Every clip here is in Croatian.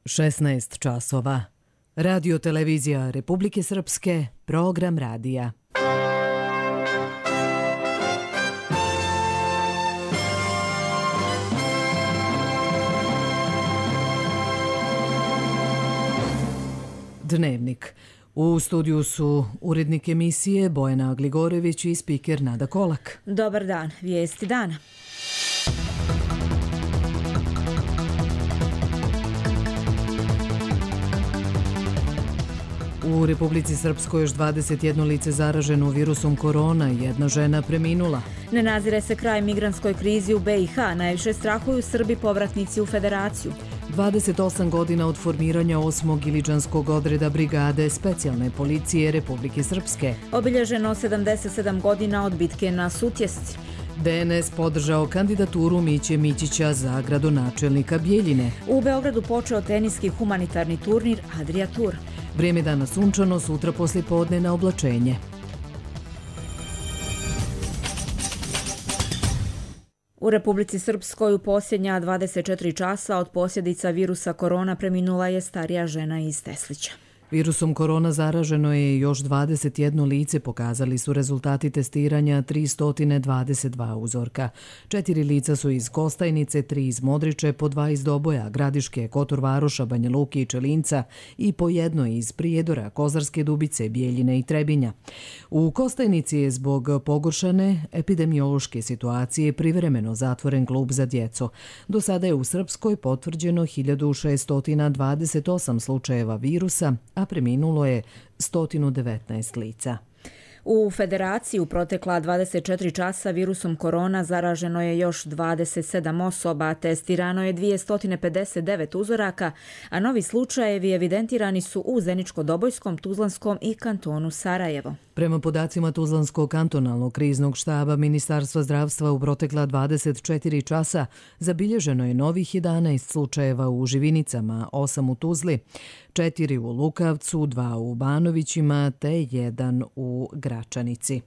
16 časova. Radio televizija Republike Srpske, program radija. Dnevnik. U studiju su urednik emisije Bojana Gligorević i spiker Nada Kolak. Dobar dan, vijesti dana. U Republici Srpskoj još 21 lice zaraženo virusom korona, jedna žena preminula. Ne nazire se kraj migrantskoj krizi u BiH, najviše strahuju Srbi povratnici u Federaciju. 28 godina od formiranja 8. Iličanskog odreda brigade specijalne policije Republike Srpske. Obilježeno 77 godina od bitke na Sutjesci. DNS podržao kandidaturu Miće Mićića za gradonačelnika Bjeljine. U Beogradu počeo teniski humanitarni turnir Adria Tour. Vrijeme dana sunčano, sutra poslijepodne na oblačenje. U Republici Srpskoj u posljednja 24 časa od posljedica virusa korona preminula je starija žena iz Teslića. Virusom korona zaraženo je još 21 lice, pokazali su rezultati testiranja 322 uzorka. 4 lica su iz Kostajnice, 3 iz Modriče, po 2 iz Doboja, Gradiške, Kotor Varoša, Banja Luke i Čelinca i po jedno iz Prijedora, Kozarske Dubice, Bjeljine i Trebinja. U Kostajnici je zbog pogoršane epidemiološke situacije privremeno zatvoren klub za djecu. Do sada je u Srpskoj potvrđeno 1628 slučajeva virusa, a preminulo je 119 lica. U Federaciji u protekla 24 časa virusom korona zaraženo je još 27 osoba, testirano je 259 uzoraka, a novi slučajevi evidentirani su u Zeničko-Dobojskom, Tuzlanskom i kantonu Sarajevo. Prema podacima Tuzlanskog kantonalnog kriznog štaba Ministarstva zdravstva u protekla 24 časa zabilježeno je novih 11 slučajeva u Živinicama, 8 u Tuzli, 4 u Lukavcu, 2 u Banovićima te 1 u Gračanici.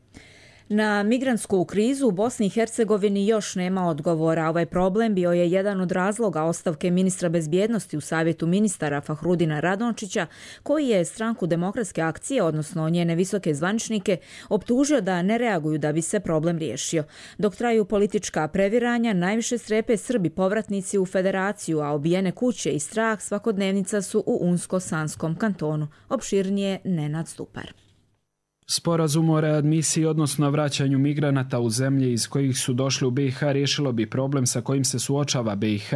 Na migrantsku krizu u Bosni i Hercegovini još nema odgovora. Ovaj problem bio je jedan od razloga ostavke ministra bezbjednosti u Savjetu ministara Fahrudina Radončića, koji je stranku Demokratske akcije, odnosno njene visoke zvaničnike, optužio da ne reaguju da bi se problem riješio. Dok traju politička previranja, najviše strepe Srbi povratnici u Federaciju, a obijene kuće i strah svakodnevnica su u Unsko-Sanskom kantonu. Opširnije Nenad Stupar. Sporazum o readmisiji, odnosno vraćanju migranata u zemlje iz kojih su došli u BiH, riješilo bi problem sa kojim se suočava BiH.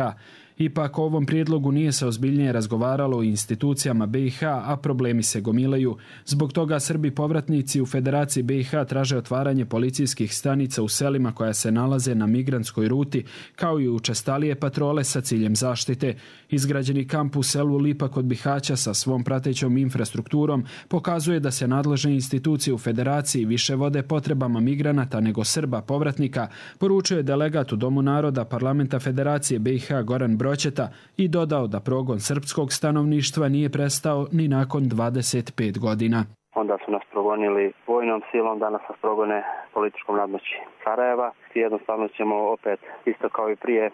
Ipak o ovom prijedlogu nije se ozbiljnije razgovaralo u institucijama BiH, a problemi se gomilaju. Zbog toga Srbi povratnici u Federaciji BiH traže otvaranje policijskih stanica u selima koja se nalaze na migrantskoj ruti, kao i učestalije patrole sa ciljem zaštite. Izgrađeni kamp u selu Lipa kod Bihaća sa svom pratećom infrastrukturom pokazuje da se nadležne institucije u Federaciji više vode potrebama migranata nego Srba povratnika, poručuje delegat u Domu naroda Parlamenta Federacije BiH Goran Broćeta i dodao da progon srpskog stanovništva nije prestao ni nakon 25 godina. Onda su nas progonili vojnom silom, danas nas progone političkom nadmoći Sarajeva. Jednostavno ćemo opet, isto kao i prije,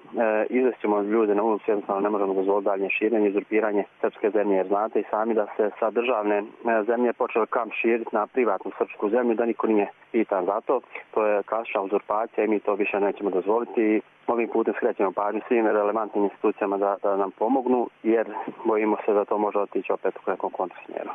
izvešćemo ljude na ulicu, jednostavno ne možemo dozvoliti daljnje širenje, uzurpiranje srpske zemlje, jer znate i sami da se sa državne zemlje počeo kamp širiti na privatnu srpsku zemlju, da niko nije pitan za to. To je klasična uzurpacija i mi to više nećemo dozvoliti. Ovim putem skrećemo pažnju svim relevantnim institucijama da nam pomognu, jer bojimo se da to može otići opet u nekom kontrasmjeru.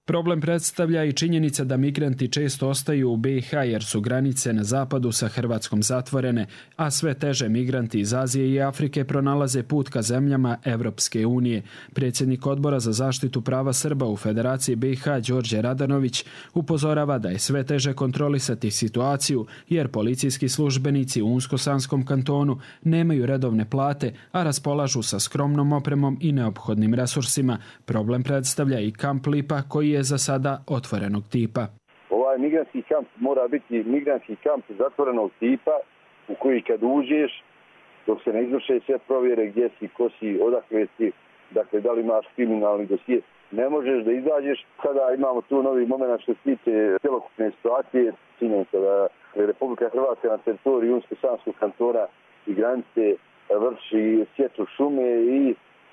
Problem predstavlja i činjenica da migranti često ostaju u BiH jer su granice na zapadu sa Hrvatskom zatvorene, a sve teže migranti iz Azije i Afrike pronalaze put ka zemljama Evropske unije. Predsjednik Odbora za zaštitu prava Srba u Federaciji BiH Đorđe Radanović upozorava da je sve teže kontrolisati situaciju jer policijski službenici u Unsko-Sanskom kantonu nemaju redovne plate, a raspolažu sa skromnom opremom i neophodnim resursima. Problem predstavlja i kamp Lipa koji je za sada otvorenog tipa. Ovaj migrantski kamp mora biti migrantski kamp zatvorenog tipa u koji kad uđeš, dok se ne izvrše sve provjere gdje si, ko si, odakle si, dakle da li imaš kriminalni dosije, ne možeš da izađeš. Sada imamo tu novi moment što se tiče cjelokupne situacije. Činjenica da Republika Hrvatska na teritoriji Unsko-Sanskog kantona i granice vrši sječu šume i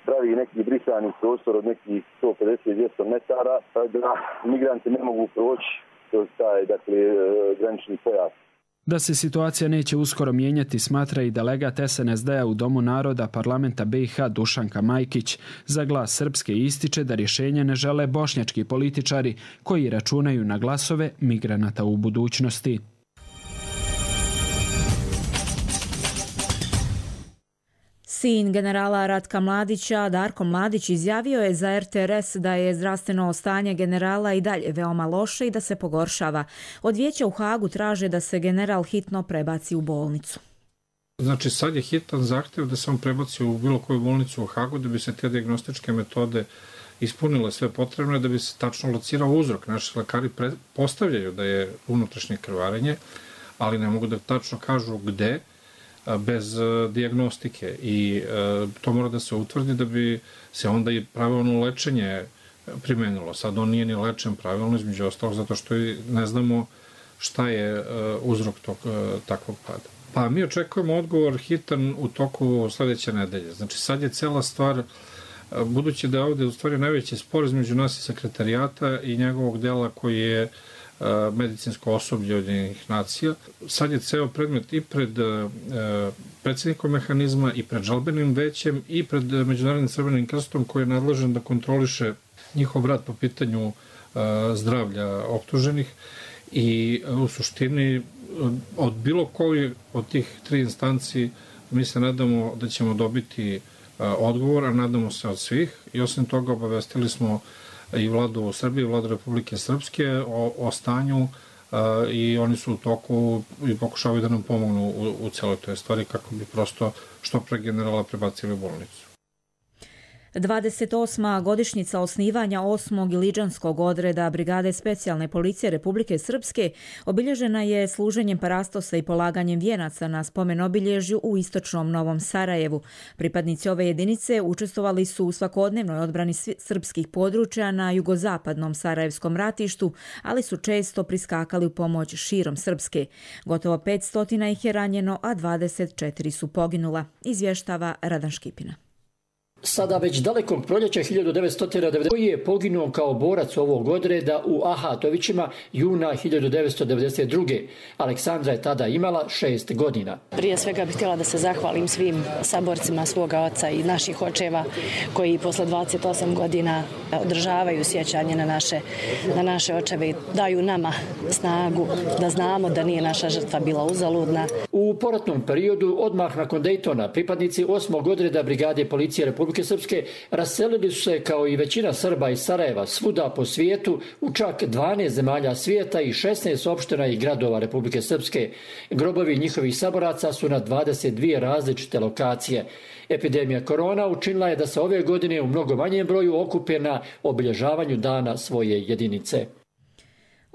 pravi neki brisani prostor od nekih 150-200 metara, da migranti ne mogu proći kroz taj, dakle, granični pojas. Da se situacija neće uskoro mijenjati, smatra i delegat SNSD-a u Domu naroda parlamenta BiH Dušanka Majkić. Za Glas Srpske ističe da rješenje ne žele bošnjački političari koji računaju na glasove migranata u budućnosti. Sin generala Ratka Mladića, Darko Mladić, izjavio je za RTRS da je zdravstveno stanje generala i dalje veoma loše i da se pogoršava. Od vijeća u Hagu traže da se general hitno prebaci u bolnicu. Znači sad je hitan zahtjev da se on prebaci u bilo koju bolnicu u Hagu da bi se te dijagnostičke metode ispunile sve potrebne, da bi se tačno locirao uzrok. Naši lekari postavljaju da je unutrašnje krvarenje, ali ne mogu da tačno kažu gde, bez dijagnostike, i to mora da se utvrdi da bi se onda i pravilno lečenje primenilo. Sad on nije ni lečen pravilno, između ostalog, zato što ne znamo šta je uzrok takvog pada. Pa mi očekujemo odgovor hitan u toku sledeće nedelje. Znači sad je cela stvar, budući da je ovde u stvari najveći spor između nas i sekretarijata i njegovog dela koji je medicinsko osoblje Ujedinjenih nacija. Sad je ceo predmet i pred predsjednikom mehanizma i pred žalbenim većem i pred Međunarodnim Crvenim krstom koji je nadležan da kontroliše njihov rad po pitanju zdravlja optuženih, i u suštini od bilo koji od tih tri instanci mi se nadamo da ćemo dobiti odgovor, a nadamo se od svih, i osim toga obavestili smo i vladu Srbije, i vladu Republike Srpske o stanju, i oni su u toku i pokušavaju da nam pomognu u celoj toj stvari kako bi prosto što pre generala prebacili u bolnicu. 28. godišnjica osnivanja 8. iliđanskog odreda Brigade specijalne policije Republike Srpske obilježena je služenjem parastosa i polaganjem vijenaca na spomen obilježju u istočnom Novom Sarajevu. Pripadnici ove jedinice učestvovali su u svakodnevnoj odbrani srpskih područja na jugozapadnom Sarajevskom ratištu, ali su često priskakali u pomoć širom Srpske. Gotovo 500 ih je ranjeno, a 24 su poginula, izvještava Radan Škipina. Sada već dalekog proljeća 1990. koji je poginuo kao borac ovog odreda u Ahatovićima juna 1992. Aleksandra je tada imala 6 godina. Prije svega bih htjela da se zahvalim svim saborcima svoga oca i naših očeva koji posle 28 godina održavaju sjećanje na naše očeve i daju nama snagu da znamo da nije naša žrtva bila uzaludna. U poratnom periodu, odmah nakon Dejtona, pripadnici 8. odreda Brigade policije Republike Srpske raselili su se kao i većina Srba iz Sarajeva svuda po svijetu u čak 12 zemalja svijeta i 16 opština i gradova Republike Srpske. Grobovi njihovih saboraca su na 22 različite lokacije. Epidemija korona učinila je da se ove godine u mnogo manjem broju okupe na obilježavanju dana svoje jedinice.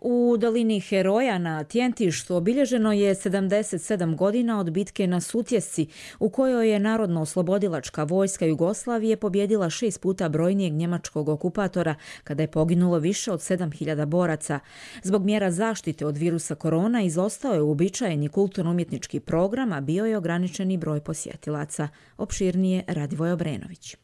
U dolini Heroja na Tjentištu obilježeno je 77 godina od bitke na Sutjesci, u kojoj je Narodno-oslobodilačka vojska Jugoslavije pobjedila 6 puta brojnijeg njemačkog okupatora, kada je poginulo više od 7000 boraca. Zbog mjera zaštite od virusa korona izostao je uobičajeni kulturno-umjetnički program, a bio je ograničeni broj posjetilaca. Opširnije Radivoj Obrenović.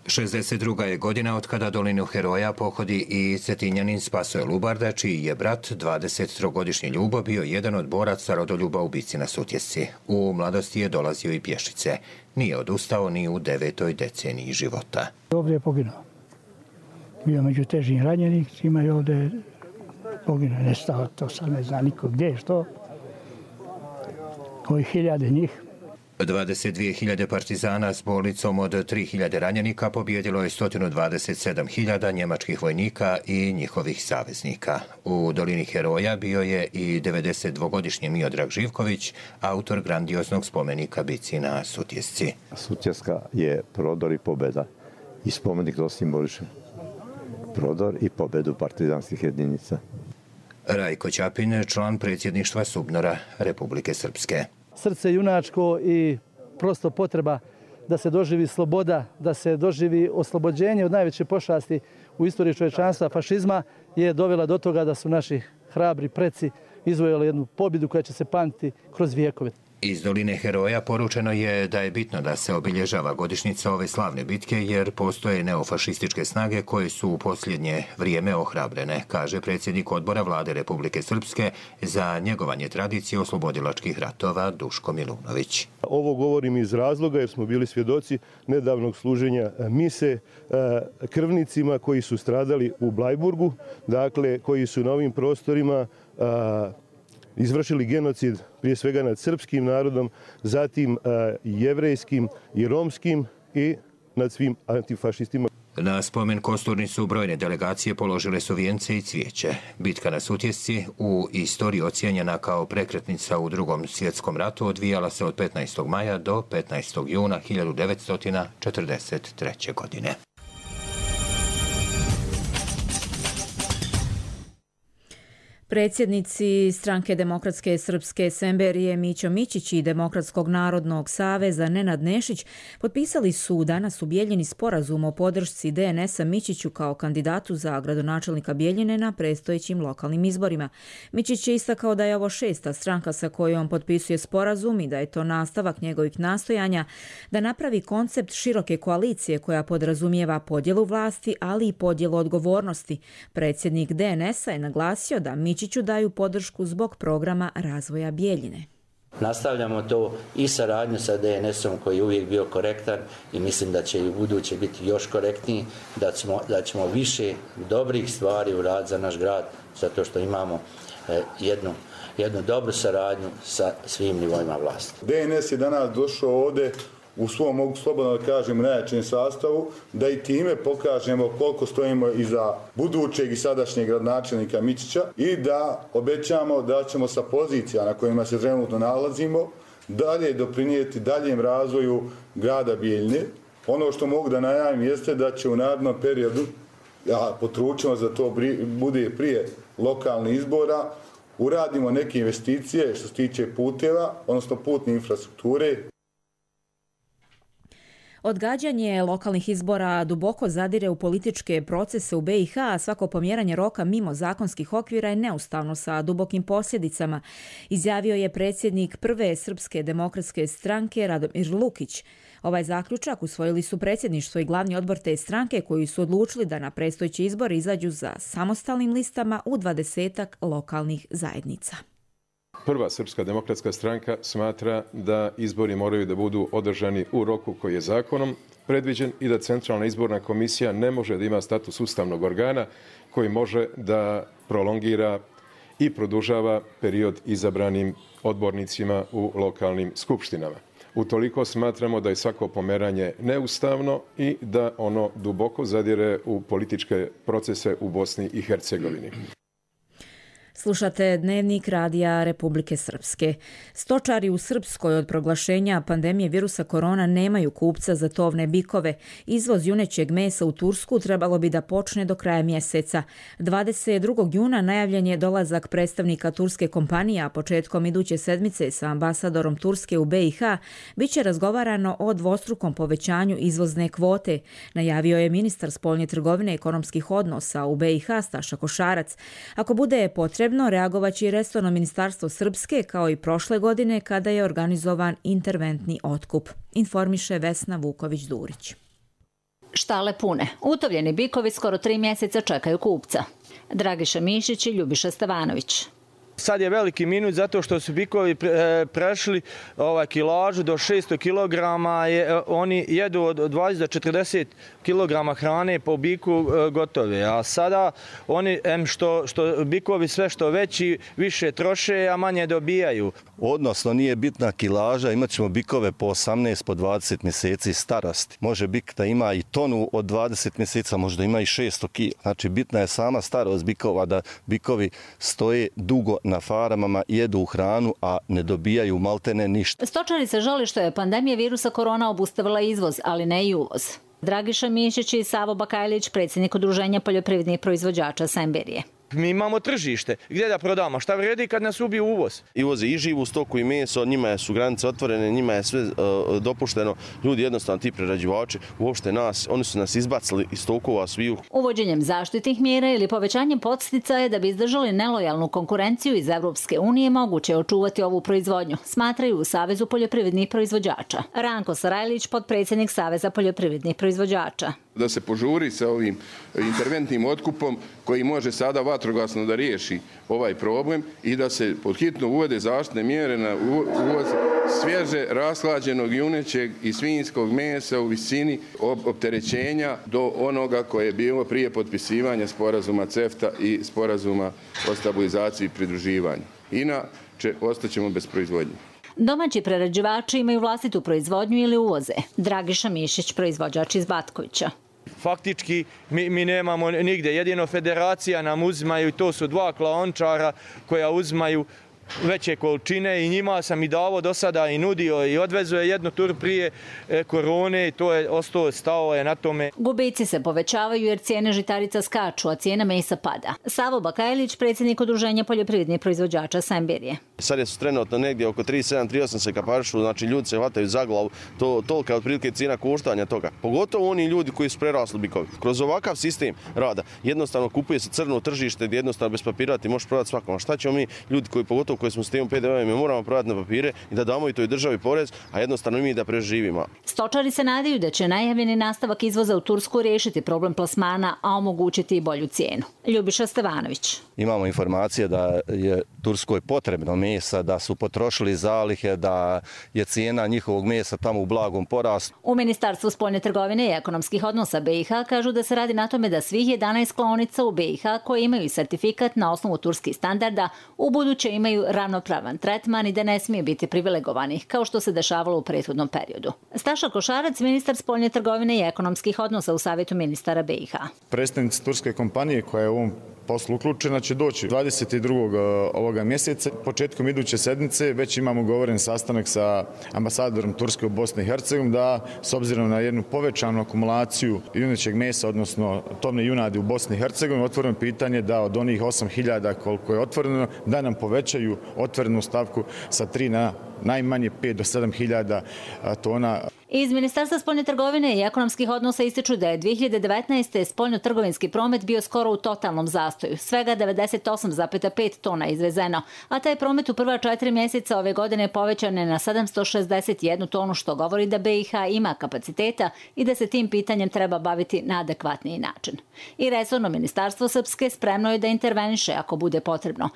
62. je godina od kada dolinu Heroja pohodi i Cetinjanin Spasoje Lubarda, čiji je brat 23-godišnji Ljubo bio jedan od boraca rodoljuba u bici na Sutjesci. U mladosti je dolazio i pješice. Nije odustao ni u 9. deceniji života. Ovdje je poginuo. Bio među težim ranjenicima i ovdje je poginuo. Nestao, to sad ne zna niko gdje je što. Ovi 1000 njih. 22.000 partizana s bolnicom od 3.000 ranjenika pobjedilo je 127.000 njemačkih vojnika i njihovih saveznika. U dolini Heroja bio je i 92-godišnji Miodrag Živković, autor grandioznog spomenika bici na Sutjesci. Sutjeska je prodor i pobjeda i spomenik to simboliše. Prodor i pobjedu partizanskih jedinica. Rajko Ćapin, član predsjedništva SUBNOR-a Republike Srpske. Srce junačko i prosto potreba da se doživi sloboda, da se doživi oslobođenje od najveće pošasti u istoriji čovječanstva, fašizma, je dovela do toga da su naši hrabri preci izvojili jednu pobjedu koja će se pamtiti kroz vijekove. Iz Doline heroja poručeno je da je bitno da se obilježava godišnjica ove slavne bitke jer postoje neofašističke snage koje su u posljednje vrijeme ohrabrene, kaže predsjednik odbora Vlade Republike Srpske za njegovanje tradicije oslobodilačkih ratova Duško Milunović. Ovo govorim iz razloga jer smo bili svjedoci nedavnog služenja mise krvnicima koji su stradali u Blajburgu, dakle koji su na ovim prostorima izvršili genocid prije svega nad srpskim narodom, zatim jevrejskim i romskim i nad svim antifašistima. Na spomen kosturnicu brojne delegacije položile su vijence i cvijeće. Bitka na Sutjesci, u istoriji ocijenjena kao prekretnica u Drugom svjetskom ratu, odvijala se od 15. maja do 15. juna 1943. godine. Predsjednici Stranke demokratske srpske Semberije Mićo Mićić i Demokratskog narodnog saveza Nenad Nešić potpisali su danas u Bijeljini sporazum o podršci DNS-a Mićiću kao kandidatu za gradonačelnika Bijeljine na predstojećim lokalnim izborima. Mićić je istakao da je ovo 6. stranka sa kojom potpisuje sporazum i da je to nastavak njegovih nastojanja da napravi koncept široke koalicije koja podrazumijeva podjelu vlasti, ali i podjelu odgovornosti. Predsjednik DNS-a je naglasio da Mićiću daju podršku zbog programa razvoja Bijeljine. Nastavljamo to i saradnju sa DNS-om koji je uvijek bio korektan i mislim da će i u buduće biti još korektniji, da ćemo više dobrih stvari uraditi za naš grad, zato što imamo jednu dobru saradnju sa svim nivoima vlasti. DNS je danas došao ovdje u svom, mogu slobodno da kažem, najjačem sastavu, da i time pokažemo koliko stojimo iza budućeg i sadašnjeg gradonačelnika Mićića i da obećamo da ćemo sa pozicija na kojima se trenutno nalazimo dalje doprinijeti daljem razvoju grada Bijeljine. Ono što mogu da najavim jeste da će u narednom periodu, ja potručimo da to bude prije lokalnih izbora, uradimo neke investicije što se tiče puteva, odnosno putne infrastrukture. Odgađanje lokalnih izbora duboko zadire u političke procese u BiH, a svako pomjeranje roka mimo zakonskih okvira je neustavno sa dubokim posljedicama, izjavio je predsjednik prve Srpske demokratske stranke Radomir Lukić. Ovaj zaključak usvojili su predsjedništvo i glavni odbor te stranke koji su odlučili da na predstojeći izbor izađu za samostalnim listama u 20-ak lokalnih zajednica. Prva Srpska demokratska stranka smatra da izbori moraju da budu održani u roku koji je zakonom predviđen i da Centralna izborna komisija ne može da ima status ustavnog organa koji može da prolongira i produžava period izabranim odbornicima u lokalnim skupštinama. Utoliko smatramo da je svako pomeranje neustavno i da ono duboko zadire u političke procese u Bosni i Hercegovini. Slušate Dnevnik Radija Republike Srpske. Stočari u Srpskoj od proglašenja pandemije virusa korona nemaju kupca za tovne bikove. Izvoz junećeg mesa u Tursku trebalo bi da počne do kraja mjeseca. 22. juna najavljen je dolazak predstavnika turske kompanije, a početkom iduće sedmice sa ambasadorom Turske u BiH biće razgovarano o dvostrukom povećanju izvozne kvote, najavio je ministar spoljne trgovine i ekonomskih odnosa u BiH Staša Košarac. Ako bude potrebno, reagovaće i resorno ministarstvo Srpske kao i prošle godine kada je organizovan interventni otkup, informiše Vesna Vuković-Durić. Štale pune. Utovljeni bikovi skoro 3 mjeseca čekaju kupca. Dragiša Mišić i Ljubiša Stevanović. Sad je veliki minus zato što su bikovi prešli kilažu do 600 kg. Oni jedu od 20 do 40 kg hrane po biku gotove. A sada oni, što bikovi sve što veći, više troše, a manje dobijaju. Odnosno nije bitna kilaža, imat ćemo bikove po 18, po 20 mjeseci starosti. Može bik da ima i tonu od 20 mjeseca, možda ima i 600 kg. Znači bitna je sama starost bikova, da bikovi stoje dugo na farmama, jedu hranu, a ne dobijaju maltene ništa. Stočari se žali što je pandemija virusa korona obustavila izvoz, ali ne i uvoz. Dragiša Mišić i Savo Bakajlić, predsjednik Udruženja poljoprivrednih proizvođača Semberije. Mi imamo tržište. Gdje da prodamo? Šta vredi kad nas ubije uvoz? I uvoze i živu stoku i meso, njima su granice otvorene, njima je sve dopušteno. Ljudi jednostavno, ti prerađivači, uopšte oni su nas izbacili iz tokova sviju. Uvođenjem zaštitnih mjera ili povećanjem podsticaja da bi izdržali nelojalnu konkurenciju iz Evropske unije moguće je očuvati ovu proizvodnju, smatraju u Savezu poljoprivrednih proizvođača. Ranko Sarajlić, potpredsjednik Saveza poljoprivrednih proizvođača. Da se požuri sa ovim interventnim otkupom koji može sada vatrogasno da riješi ovaj problem i da se podhitno uvede zaštitne mjere na uvoz svježe, rashlađenog junećeg i svinjskog mesa u visini opterećenja do onoga koje je bilo prije potpisivanja sporazuma CEFTA i sporazuma o stabilizaciji i pridruživanju. Inače, ostaćemo bez proizvodnje. Domaći prerađivači imaju vlastitu proizvodnju ili uvoze. Dragiša Mišić, proizvođač iz Batkovića. Faktički mi nemamo nigde. Jedino federacija nam uzimaju i to su 2 klaončara koja uzimaju veće količine i njima sam i davo do sada i nudio i odvezo je jednu tur prije korone i to je stao je na tome. Gubici se povećavaju jer cijene žitarica skaču, a cijena mesa pada. Savo Bakajlić, predsjednik Udruženja poljoprivrednih proizvođača Sembirije. Sad je su trenutno negdje oko 37-38 se kaparišu, znači ljudi se hvataju za glavu, tolika je otprilike cijena koštanja toga. Pogotovo oni ljudi koji su prerasli bikovi. Kroz ovakav sistem rada jednostavno kupuje se crno tržište gdje jednostavno bez papirati možeš prodati svakom. Šta ćemo mi ljudi koji smo s tim PDV-om, mi moramo prodati na papire i da damo i toj državi porez, a jednostavno mi da preživimo. Stočari se nadaju da će najavljeni nastavak izvoza u Tursku riješiti problem plasmana, a omogućiti i bolju cijenu. Ljubiša Stevanović. Imamo informacije da je Turskoj potrebno mesa, da su potrošili zalihe, da je cijena njihovog mesa tamo u blagom porastu. U Ministarstvu spoljne trgovine i ekonomskih odnosa BiH kažu da se radi na tome da svih 11 klaonica u BiH koje imaju sertifikat na osnovu turskih standarda u buduće imaju ravnopravan tretman i da ne smije biti privilegovanih, kao što se dešavalo u prethodnom periodu. Staša Košarac, ministar spoljne trgovine i ekonomskih odnosa u Savjetu ministara BiH. Predstavnici turske kompanije koja je u ovom poslu uključena će doći 22. ovoga mjeseca. Početkom iduće sedmice već imamo govoren sastanak sa ambasadorom Turske u Bosni i Hercegovini da s obzirom na jednu povećanu akumulaciju junećeg mesa, odnosno tovne junadi u Bosni i Hercegovini, otvoreno pitanje da od onih 8.000 koliko je otvoreno, da nam povećaju otvorenu stavku sa 3 na najmanje 5 do 7.000 tona. Iz Ministarstva spoljne trgovine i ekonomskih odnosa ističu da je 2019. spoljno-trgovinski promet bio skoro u totalnom zastoju. Svega 98,5 tona izvezeno, a taj promet u prva 4 mjeseca ove godine povećan je na 761 tonu, što govori da BiH ima kapaciteta i da se tim pitanjem treba baviti na adekvatniji način. I resorno ministarstvo Srpske spremno je da interveniše ako bude potrebno.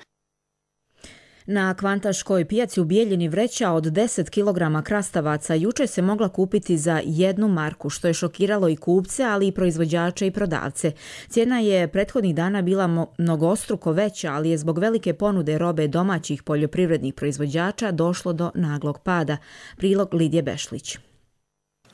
Na kvantaškoj pijaci u Bijeljini vreća od 10 kg krastavaca juče se mogla kupiti za 1 marku, što je šokiralo i kupce, ali i proizvođače i prodavce. Cijena je prethodnih dana bila mnogostruko veća, ali je zbog velike ponude robe domaćih poljoprivrednih proizvođača došlo do naglog pada. Prilog Lidije Bešlić.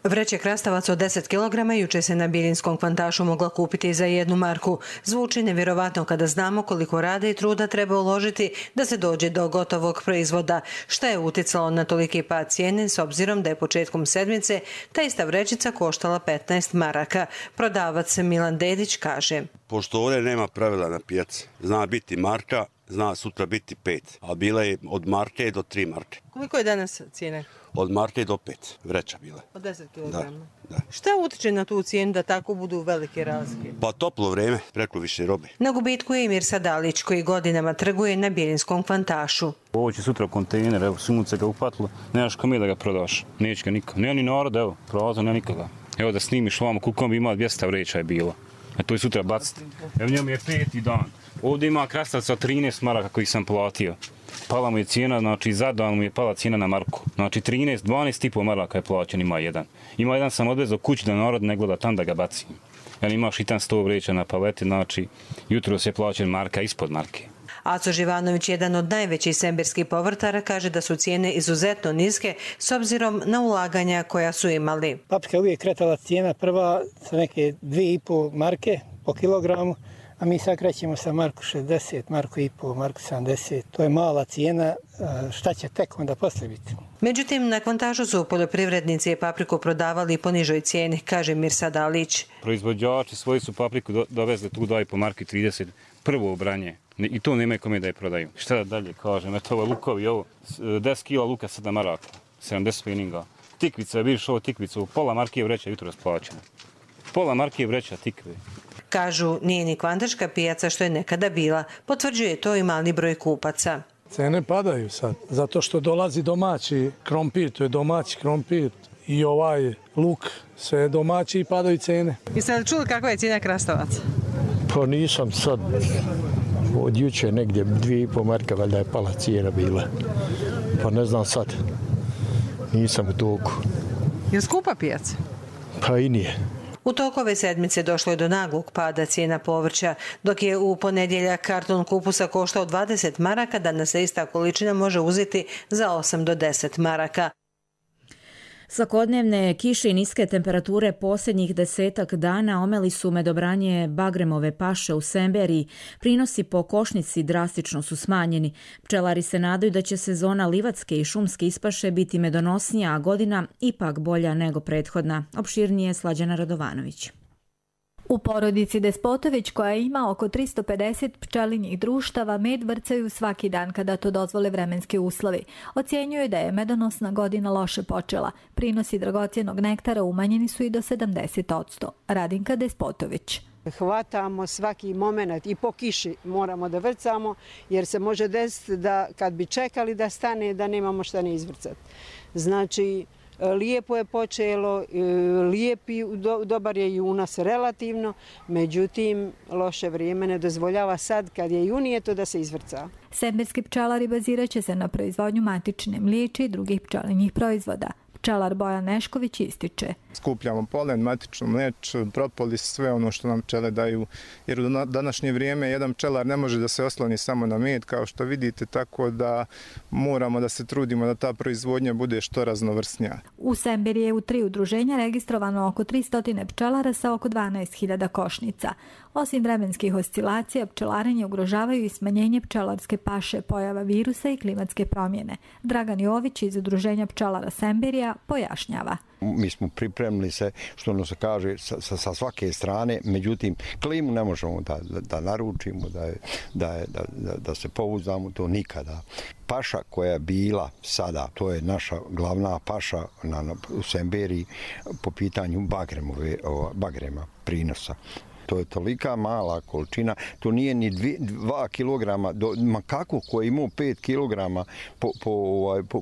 Vreće krastavaca od 10 kg juče se na Biljinskom kvantašu mogla kupiti za 1 marku. Zvuči nevjerovatno kada znamo koliko rada i truda treba uložiti da se dođe do gotovog proizvoda. Šta je uticalo na toliki pad cijene s obzirom da je početkom sedmice ta ista vrećica koštala 15 maraka. Prodavac Milan Dedić kaže: Pošto ovdje nema pravila na pijaci, zna biti marka, zna sutra biti 5, a bila je od marke do 3 marke. Koliko je danas cijene? Od marke do 5 vreća bila. Od 10 kg? Da. Šta utiče na tu cijenu da tako budu velike razlike? Pa toplo vrijeme, preko više robe. Na gubitku je i Mirsa Dalić koji godinama trguje na Biljinskom kvantašu. Ovo će sutra u kontejner, evo sunce ga upatilo, nemaš kome da ga prodaš, neće ga niko. Nema ni narod, evo, prolazno, nema nikoga. Evo da snimiš ovamo, koliko bi imao 200 vreća je bilo. A to je sutra baciti. Evo njemu je 5. dan. Ovdje ima krastavca 13 maraka koji sam platio. Pala mu je cijena, znači za dan mu je pala cijena na marku. Znači 12,5 maraka je plaćen, ima jedan. Ima jedan sam odvezao kući da narod ne gleda tam da ga bacim. Jer imaš i tam 100 vreća na paleti, znači jutro se plaćen marka ispod marke. Aco Živanović, jedan od najvećih sembirskih povrtara, kaže da su cijene izuzetno niske s obzirom na ulaganja koja su imali. Paprika je uvijek kretala cijena prva sa neke 2,5 marke po kilogramu, a mi sad krećemo sa marku 60, marku i pol, marku 70. To je mala cijena, šta će tek onda poslije biti? Međutim, na kvantažu su poljoprivrednici papriku prodavali po nižoj cijeni, kaže Mirsa Dalić. Proizvođači svoji su papriku dovezli tu 2,5 marke 30 prvo branje. I to nemaju kome da je prodaju. Šta da dalje kažem, eto ovo lukovi, ovo 10 kila luka 7 maraka, 70 spininga. Tikvica, vidiš ovo tikvicu, pola marke vreća jutro rasplaćena. Pola marke vreća tikve. Kažu, nije ni kvantaška pijaca što je nekada bila. Potvrđuje to i mali broj kupaca. Cene padaju sad, zato što dolazi domaći krompir, to je domaći krompir i ovaj luk, sve je domaći i padaju cene. Jeste li čuli kakva je cijena krastavaca? Pa nisam sad, od juče negdje 2,5 marka valjda je pala cijena bila, pa ne znam sad, nisam u toku. Je skupa pijaca? Pa i nije. U toku ove sedmice došlo je do naglog pada cijena povrća, dok je u ponedjeljak karton kupusa koštao 20 maraka, danas se ista količina može uzeti za 8 do 10 maraka. Svakodnevne kiše i niske temperature posljednjih 10-ak dana omeli su medobranje bagremove paše u Semberiji. Prinosi po košnici drastično su smanjeni. Pčelari se nadaju da će sezona livatske i šumske ispaše biti medonosnija, a godina ipak bolja nego prethodna. Opširnije Slađana Radovanović. U porodici Despotović, koja ima oko 350 pčelinjih društava, med vrcaju svaki dan kada to dozvole vremenski uslovi. Ocjenjuju da je medonosna godina loše počela. Prinosi dragocjenog nektara umanjeni su i do 70%. Radinka Despotović. Hvatamo svaki moment i po kiši moramo da vrcamo, jer se može desiti da kad bi čekali da stane, da nemamo šta ne izvrcati. Znači, lijepo je počelo, dobar je junas relativno, međutim loše vrijeme ne dozvoljava sad kad je junijeto da se izvrca. Semberski pčelari bazirat će se na proizvodnju matične mliječi i drugih pčelinjih proizvoda. Pčelar Bojan Nešković ističe. Skupljamo polen, matičnu mleč, propolis, sve ono što nam pčele daju. Jer u današnje vrijeme jedan pčelar ne može da se osloni samo na med, kao što vidite, tako da moramo da se trudimo da ta proizvodnja bude što raznovrsnija. U Semberiji je u 3 udruženja registrovano oko 300 pčelara sa oko 12.000 košnica. Osim vremenskih oscilacija, pčelarenje ugrožavaju i smanjenje pčelarske paše, pojava virusa i klimatske promjene. Dragan Jović iz udruženja pčelara Semberija pojašnjava. Mi smo pripremili se, što ono se kaže, sa svake strane, međutim, klimu ne možemo da naručimo, da se pouzdamo, to nikada. Paša koja je bila sada, to je naša glavna paša u Semberiji po pitanju bagrema prinosa. To je tolika mala količina, to nije ni 2 kilograma, makako koji imao 5 kilograma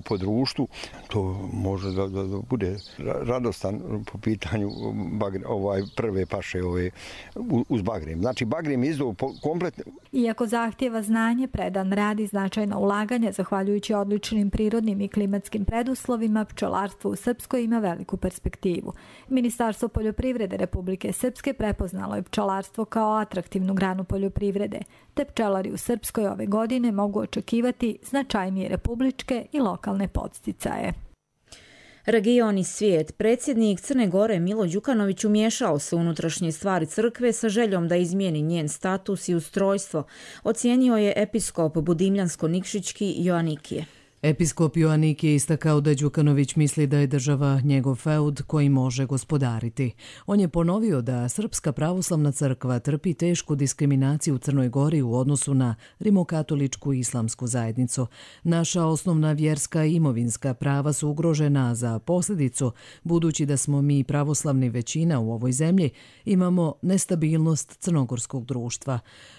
po društvu, to može da bude radostan po pitanju prve paše uz bagrem. Znači bagrem je izdao kompletno. Iako zahtjeva znanje, predan rad i značajna ulaganja, zahvaljujući odličnim prirodnim i klimatskim preduslovima, pčelarstvo u Srpskoj ima veliku perspektivu. Ministarstvo poljoprivrede Republike Srpske prepoznalo je pčelarstvo kao atraktivnu granu poljoprivrede, te pčelari u Srpskoj ove godine mogu očekivati značajnije republičke i lokalne podsticaje. Region i svijet. Predsjednik Crne Gore Milo Đukanović umiješao se u unutrašnje stvari crkve sa željom da izmijeni njen status i ustrojstvo, ocijenio je episkop Budimljansko-Nikšićki Joanikije. Episkop Joanik je istakao da Đukanović misli da je država njegov feud koji može gospodariti. On je ponovio da Srpska pravoslavna crkva trpi tešku diskriminaciju u Crnoj Gori u odnosu na rimokatoličku i islamsku zajednicu. Naša osnovna vjerska i imovinska prava su ugrožena za posljedicu, budući da smo mi pravoslavni većina u ovoj zemlji, imamo nestabilnost crnogorskog društva.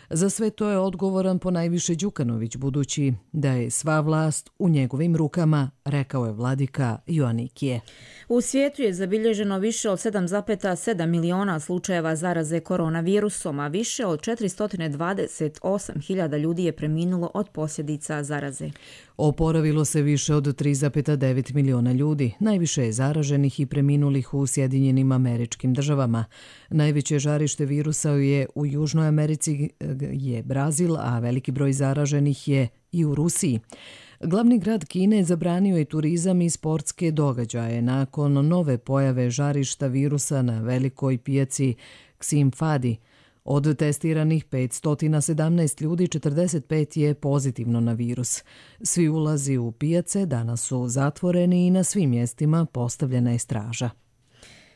Za sve to je odgovoran ponajviše Đukanović, budući da je sva vlast u njegovim rukama, rekao je vladika Joanikije. U svijetu je zabilježeno više od 7,7 miliona slučajeva zaraze koronavirusom, a više od 428.000 ljudi je preminulo od posljedica zaraze. Oporavilo se više od 3,9 miliona ljudi. Najviše je zaraženih i preminulih u Sjedinjenim Američkim Državama. Najveće žarište virusa je u Južnoj Americi je Brazil, a veliki broj zaraženih je i u Rusiji. Glavni grad Kine zabranio je turizam i sportske događaje nakon nove pojave žarišta virusa na velikoj pijaci Xinfadi. Od testiranih 517 ljudi, 45 je pozitivno na virus. Svi ulazi u pijace danas su zatvoreni i na svim mjestima postavljena je straža.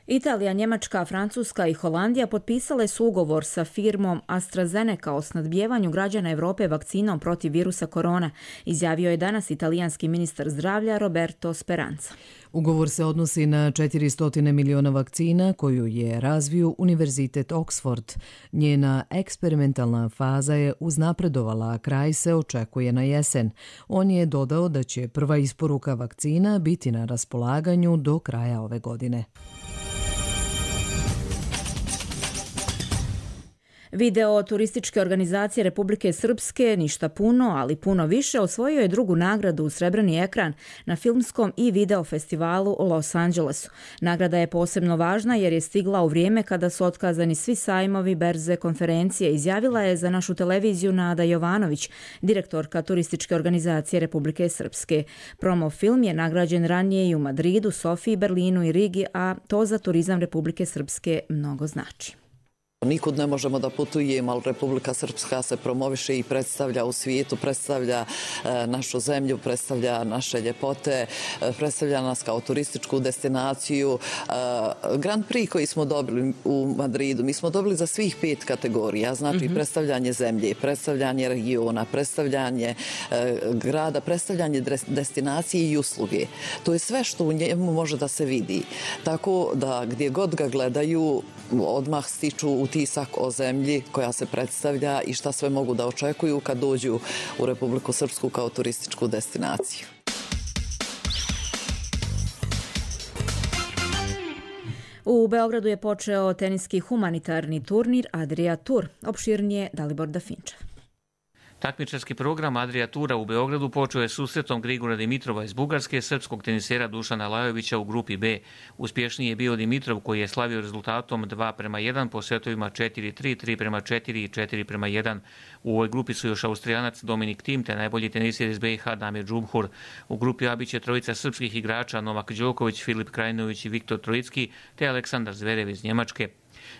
Italija, Njemačka, Francuska i Holandija potpisale su ugovor sa firmom AstraZeneca o snadbijevanju građana Evrope vakcinom protiv virusa korona, izjavio je danas italijanski ministar zdravlja Roberto Speranza. Ugovor se odnosi na 400 miliona vakcina koju je razvio Univerzitet Oxford. Njena eksperimentalna faza je uznapredovala, a kraj se očekuje na jesen. On je dodao da će prva isporuka vakcina biti na raspolaganju do kraja ove godine. Video turističke organizacije Republike Srpske Ništa puno, ali puno više osvojio je drugu nagradu u Srebrni ekran na filmskom i video festivalu u Los Angelesu. Nagrada je posebno važna jer je stigla u vrijeme kada su otkazani svi sajmovi, berze, konferencije, izjavila je za našu televiziju Nada Jovanović, direktorka turističke organizacije Republike Srpske. Promo film je nagrađen ranije i u Madridu, Sofiji, Berlinu i Rigi, a to za turizam Republike Srpske mnogo znači. Nikud ne možemo da putujemo, ali Republika Srpska se promoviše i predstavlja u svijetu, predstavlja našu zemlju, predstavlja naše ljepote, predstavlja nas kao turističku destinaciju. Grand Prix koji smo dobili u Madridu, mi smo dobili za svih 5 kategorija, znači predstavljanje zemlje, predstavljanje regiona, predstavljanje grada, predstavljanje destinacije i usluge. To je sve što u njemu može da se vidi. Tako da gdje god ga gledaju, odmah stiču utisak o zemlji koja se predstavlja i šta sve mogu da očekuju kad dođu u Republiku Srpsku kao turističku destinaciju. U Beogradu je počeo teniski humanitarni turnir Adria Tour. Opširnije Dalibor Dafinčev. Takmičarski program Adria Tura u Beogradu počeo je susretom Grigora Dimitrova iz Bugarske, srpskog tenisera Dušana Lajovića u grupi B. Uspješniji je bio Dimitrov koji je slavio rezultatom 2:1 po setovima 4-3, 3:4 i 4:1. U ovoj grupi su još Austrijanac Dominik Thiem te najbolji teniser iz BiH Damir Džumhur. U grupi A biće trojica srpskih igrača Novak Đoković, Filip Krajinović i Viktor Trojicki te Aleksandar Zverev iz Njemačke.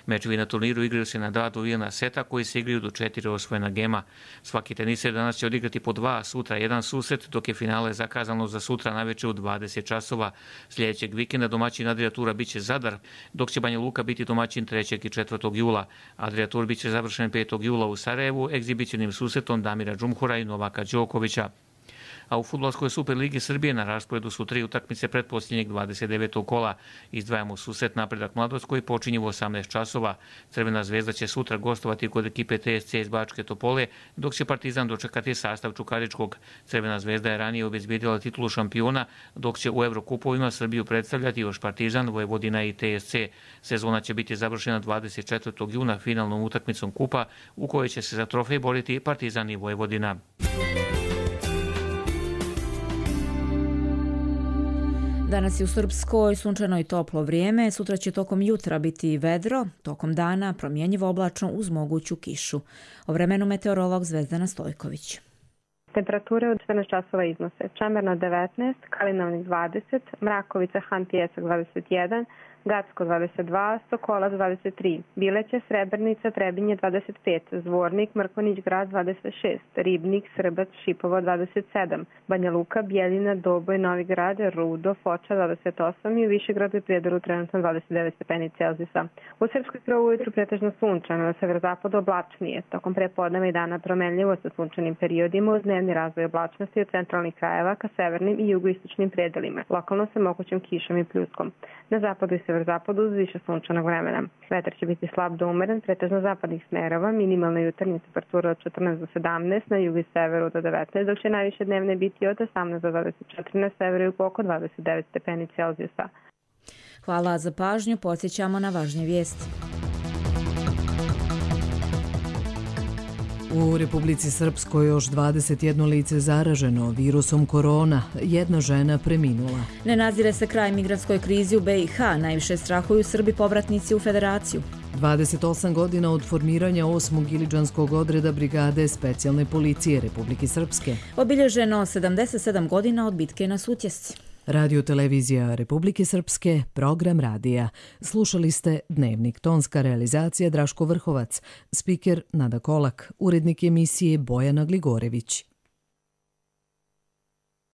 Mečevi na turniru igraju se na 2 dobijena seta koji se igraju do 4 osvojena gema. Svaki teniser danas će odigrati po 2, sutra 1 susret, dok je finale zakazano za sutra navečer u 20 časova. Sljedećeg vikenda domaćin Adria Tura biće Zadar, dok će Banja Luka biti domaćin 3. i 4. jula. Adria Tur biće završen 5. jula u Sarajevu egzibicionim susretom Damira Džumhura i Novaka Đokovića. A u Fudbalskoj Superligi Srbije na rasporedu su 3 utakmice pretposljednjeg 29. kola. Izdvajamo susret Napredak Mladost koji počinje u 18 časova. Crvena zvezda će sutra gostovati kod ekipe TSC iz Bačke Topole, dok će Partizan dočekati sastav Čukaričkog. Crvena zvezda je ranije obezbijedila titulu šampiona, dok će u Evrokupovima Srbiju predstavljati još Partizan, Vojvodina i TSC. Sezona će biti završena 24. juna finalnom utakmicom kupa u kojoj će se za trofej boriti Partizan i Vojvodina. Danas je u Srpskoj sunčano i toplo vrijeme, sutra će tokom jutra biti vedro, tokom dana promjenjivo oblačno uz moguću kišu. O vremenu meteorolog Zvezdana Stojković. Temperature od 14 časova iznose Čemerna 19, Kalinovnik 20, Mrakovica, Han Pijesak 21, Gacko 22, Sokolac 23, Bileće, Srebrnica, Trebinje 25, Zvornik, Mrkonić grad 26, Ribnik, Srbac, Šipovo 27, Banja Luka, Bijeljina, Doboj, Novi Grad, Rudo, Foča 28 i u Višegradu i Prijedoru trenutno 29 stepeni Celzijusa. U Srpskoj prvo ujutru pretežno sunčano, na severozapadu oblačnije, tokom prepodneva i dana promenljivo sa sunčanim periodima uz dnevni razvoj oblačnosti od centralnih krajeva ka severnim i jugoistočnim predelima, lokalno sa mogućim kišom i pljuskom. Na zapadu i severozapadu uz više sunčanog vremena. Vetar će biti slab do umeren, pretežno zapadnih smerova, minimalna jutarnja temperatura od 14 do 17, na jugu i severu do 19, dok će najviše dnevne biti od 18 do 24, na severu i oko 29 stepeni Celzijusa. Hvala za pažnju, podsjećamo na važnje vijesti. U Republici Srpskoj još 21 lice zaraženo virusom korona, jedna žena preminula. Ne nazire se kraj migrantskoj krizi u BiH, najviše strahuju Srbi povratnici u Federaciju. 28 godina od formiranja 8. Iliđanskog odreda Brigade specijalne policije Republike Srpske. Obilježeno 77 godina od bitke na Sutjesci. Radio televizija Republike Srpske, program radija. Slušali ste Dnevnik, tonska realizacija Draško Vrhovac, spiker Nada Kolak, urednik emisije Bojana Gligorević.